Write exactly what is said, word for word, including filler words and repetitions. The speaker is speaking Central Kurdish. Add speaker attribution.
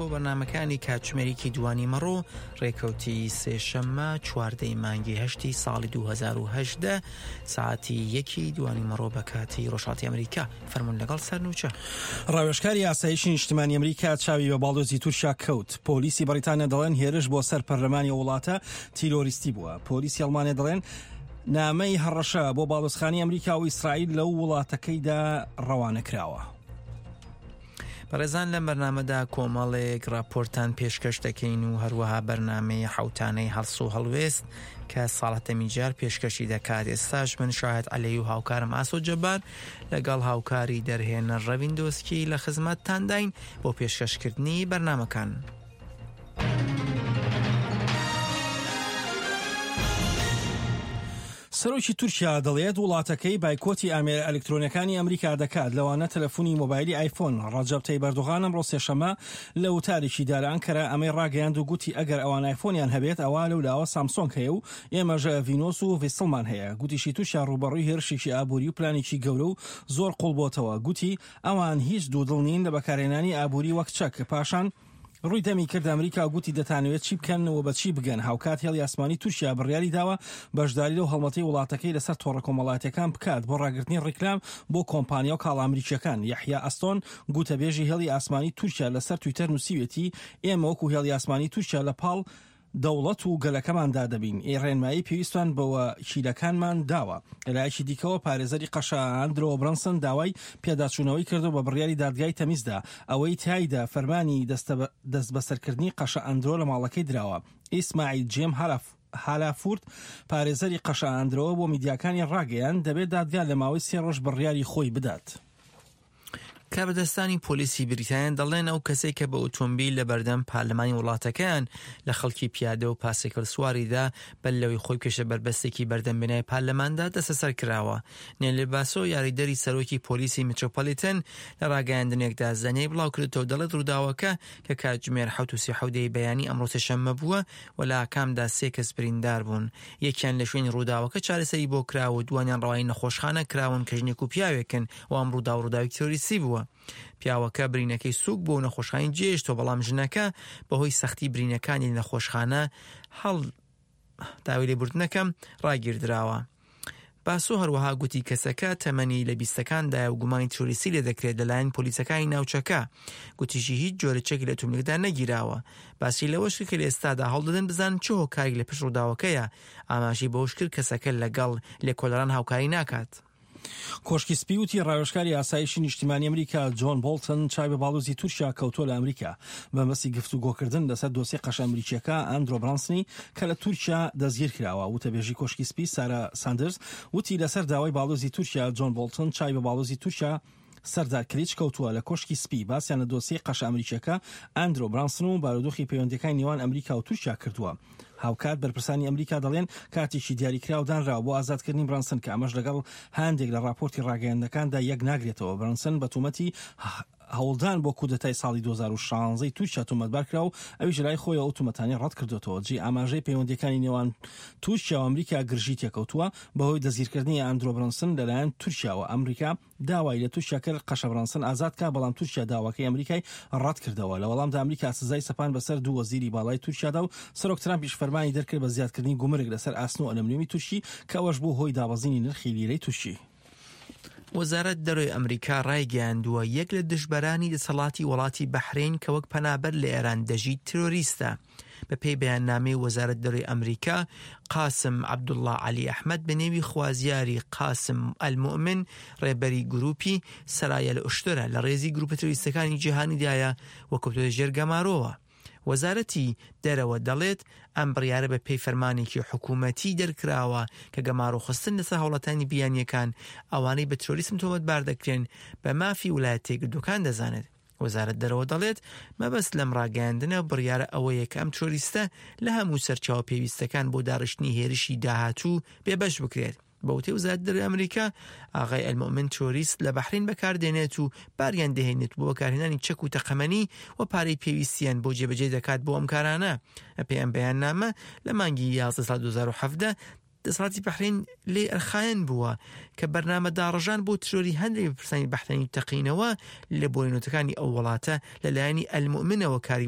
Speaker 1: بۆ بەرنامەکانی کاتژمێرێکی دوانیمەڕۆ ڕێکەوتی سێشەممە چواردەی مانگی هەشتی ساڵی دوو هەزار و هەژدە ساعتی یەکی دوانیمەڕۆ بە کاتی ڕۆژهەڵاتی ئەمریکا. فەرمونون لەگەڵ سەرنوچە.
Speaker 2: ڕاوێژکاری ئاسایشی نیشتمانی ئەمریکا چاوی بە باڵیۆزی تورکیا کەوت. پۆلیسی بەریتانیا دەڵێن هێرش بۆ سەر پەرلەمانی وڵاتە تیرۆریستی بووە. پۆلیسی ئەڵمانیا دەڵێن نامەی هەڕەشە بۆ باڵیۆزخانەی ئەمریکا و ئیسرائیل لەو وڵاتەکەیدا ڕەوانە کراوە.
Speaker 1: بەڕێزان لەم بەرنامەدا کۆمەڵێک راپۆرتان پێشکەش دەکەین و هەروەها بەرنامەی حوتانەی هەڵس و هەڵوێست کە ساڵەتەمی جار پێشکەشی دەکات. ئێستاش من شاهد عەلەی و هاوکارم ئاسۆ جەبار لەگەڵ هاوکاری دەرهێنەر ڕەوین دۆسکی لە خزمەتتانداین بۆ پێشکەشکردنی بەرنامەکان.
Speaker 2: سەرۆکی تورکیا دەڵێت وڵاتەکەی بایکۆتی ئامێرە ئەلکترۆنیەکانی ئەمریکا دەکات، لەوانە تەلەفۆنی مۆبایلی ئایفۆن. ڕەجەب تەیب ئەردۆغان ئەمڕۆ سێشەممە لە وتارێکی دا لە ئەنکەرە ئەمەی ڕاگەیاند و گوتی ئەگەر ئەوان ئایفۆنیان هەبێت ئەوە لەولاوە سامسۆنگ هەیە و ئێمەش ڤینۆس و ڤیسڵمان هەیە. گوتیشی تورکیا ڕووبەڕووی هێرشێکی ئابووری و پلانێکی گەورە و زۆر قوڵ بۆتەوە. گوتی ئەوان هیچ دوودڵ نین لە بەکارهێنانی ئابووری وەک چەک. پاشان ڕووی دەمی کرد ئەمریکا و گوتی دەتانەوێت چی بکەن و بە چی بگەن. هاوکات هێڵی ئاسمانی تورکیا بڕیاری داوە بەشداری لەو هەڵمەتەی وڵاتەکەی لەسەر تۆڕە کۆمەڵایەتیەکان بکات بۆ ڕاگرتنی ڕیکلام بۆ کۆمپانیا و کاڵا ئەمریکیەکان. یەحیا ئەستۆن گوتەبێژی هێڵی ئاسمانی تورکیا لەسەر تویتەر نووسیوێتی ئێمە وەکو هێڵی ئاسمانی تورکیا لە پاڵ دەوڵەت و گەلەکەماندا دەبین، ئێ ڕێنمایی پێویستمان بە وەکیلەکانمان داوە. لەلایەکی دیکەوە پارێزەری قەشە ئەندرۆ برەنسن داوای پێداچوونەوەی کردو بە بڕیاری دادگای تەمیزدا ئەوەی تایدا فەرمانی دەستبەسەرکردنی قەشە ئەندرۆ لە ماڵەکەی دراوە. ئیسماعیل جێم هالافورد پارێزەری قەشە ئەندرۆ بۆ میدیاکانی ڕاگەیاند دەبێت دادگا لە ماوەی سێ ڕۆژ بڕیاری خۆی بدات.
Speaker 1: کاربەدەستانی پۆلیسی بریتانیا دەڵێن ئەو کەسێک کە بە ئۆتۆمبیل لە بەردەم پەرلەمانی وڵاتەکەیان لە خەڵکی پیادە و پاسێکل سواریدا بەر لەوەی خۆی کێشە بەربەستێکی بەردەم بینای پەرلەماندا دەستەسەر کراوە. نێلی باسۆ یاریدەری سەرۆکی پۆلیسی میترۆپۆلیتن لە ڕاگەیاندنێکدا زانیاری بڵاوکردەوە دەڵێت ڕووداوەکە کە کاتژمێر حەوت و سی و حەوت بەیانی ئەمڕۆ سێشەممە بووە و لە ئاکامدا سێ کەس بریندار بوون. یەکیان لە شوێنی ڕووداوەکە چارەسەری بۆ کراوە و دوانیان ڕەوانی نەخۆشخانە کراون کە ژنێک و پیاوێکن و ئەم ڕووداو ڕووداوی تیرۆریستی بووە. پیاوەکە برینەکەی سوک بوو و نەخۆشخانەی جێهێشتەوە، بەڵام ژنەکە بەهۆی سەختی برینەکانی نەخۆشخانە هەڵ داوای لێبوردنەکەم ڕاگیردراوە. باسۆ هەروەها گوتی کەسەکە تەمەنی لە بیستەکاندایە و گومانی تیرۆریستی لێ دەکرێت لەلایەن پۆلیسەکانی ناوچەکە. گوتیشی هیچ جۆرە چەکی لە ئۆتۆمبیلەکەدا نەگیراوە. باسی لەوەش کرد کە لە ئێستادا هەوڵدەدەن بزانن چه هۆکارێک لە پشت ڕووداوەکەیە. ئاماژەی بەوەش کرد کەسەکە لەگەڵ لێکۆڵەران هاوکاری ناکات.
Speaker 2: کۆشکی سپی وتی ڕاوێژکاری ئاسایشی نیشتیمانی ئەمریکا جۆن بۆڵتن چاوی بە باڵیۆزی تورکیا کەوتووە لە ئەمریکا بەمەبەستی گفتوگۆکردن لەسەر دۆسیەی قەشە ئەمریکیەکە ئەندرۆ برانسنی کە لە تورکیا دەستگیر کراوە. وتەبێژی کۆشکی سپی سارا ساندرز وتی لەسەر داوای باڵیۆزی تورکیا جۆن بۆڵتن چاوی بە باڵیۆزی تورکیا سەردار کلیچ کەوتووە لە کۆشکی سپی باسیان لە دۆسیەی قەشە ئەمریکیەکە ئەندرۆ برانسن و بارودۆخی پەیوەندیەکانی نێوان ئەمریکا و تورکیا کردووە. هاوکات بەرپرسانی ئەمریکا دەڵێن کاتێکی دیاریکراو دانراوە بۆ ئازادکردنی برانسن کە ئەمەش لەگەڵ هەندێک لە راپۆرتی ڕاگەیاندنەکاندا یەک ناگرێتەوە. برانسن بە تۆمەتی هەوڵدان بۆ کودەتای ساڵی دوو هەزار و شانزە تورکیا تۆمەتبار کرا و ئەویش لای خۆی ئەو تۆمەتانەی ڕەت کردوێتەوە. جێ ئاماژەی پەیوەندیەکانی نێوان تورکیا و ئەمریکا گرژی تێکەوتووە بەهۆی دەستگیرکردنی ئەندرۆ برانسن لەلایەن تورکیاوە. ئەمریکا داوای لە تورکیا کرد قەشە برانسن ئازاد کا، بەڵام تورکیا داواکەی ئەمریکای ڕەت کردەوە. لە وەڵامدا ئەمریکا سزای سەپان بەسەر دوو وەزیری باڵای تورکیادا و سەرۆک ترامپیش فەرمانی دەرکرد بە زیادکردنی گومرگ لەسەر ئاسن و ئەلەمنیۆمی تورکی کە ئەوەش بوو هۆی دابەزینی نرخی لیرەی تورکی.
Speaker 1: وەزارەت دەرەوەی ئەمریکا ڕایگەیاندووە یەک لە دژبەرانی دەسەڵاتی وڵاتی بەحرین کە وەک پەنابەر لە ئێران دەژی تیرۆریستە. بە پێی بەیاننامەی وەزارەت دەرەوەی ئەمریکا قاسم عەبدوڵڵا عەلی ئەحمەد بە نێوی خوازیاری قاسم ئەلموئمن ڕێبەری گروپی سەرایە ئوشترە لە ڕێزی گروپە تیرۆریستەکانی جیهانیدایە و کەوتووەتە ژێر گەمارۆوە. وەزارەتی دەرەوە دەڵێت ئەم بڕیارە بە پێی فەرمانێکی حکوومەتی دەرکراوە کە گەمارۆخستن لەسەر هاوڵاتانی بیانیەکان ئەوانەی بە تیرۆریسم تۆمەتبار دەکرێن بە مافی ویلایەتە یەکگرتووەکان دەزانێت. وەزارەت دەرەوە دەڵێت مەبەست لەم ڕاگەیاندنە بڕیارە ئەوەیە کە ئەم تیرۆریستە لە هەموو سەرچاوە پێویستەکان بۆ داڕشتنی هێرشی داهاتوو بێبەش بکرێت. بەوتەی وەزارەت دەرەوەی ئەمریکا ئاغای ئەلموئمن تیرۆریست لە بەحرین بەکاردێنێت و باریان دەهێنێت بۆ بەکارهێنانی چەک و تەقەمەنی و پارەی پێویستیان بۆ جێبەجێ دەکات بۆ ئەم کارانە. بەپێی ئەم بەیاننامە لە مانگی یازدە ساڵ دوو هەزار و حەڤدە دەسەڵاتی بەحرین لێ ئەرخایەن بووە کە بەرنامە داڕژان بۆ تیرۆری هەندێک بەرپرسانی بەحرینی تەقینەوە لە بۆرینۆتەکانی ئەو وڵاتە لەلایەنی ئەلموئمنەوە کاری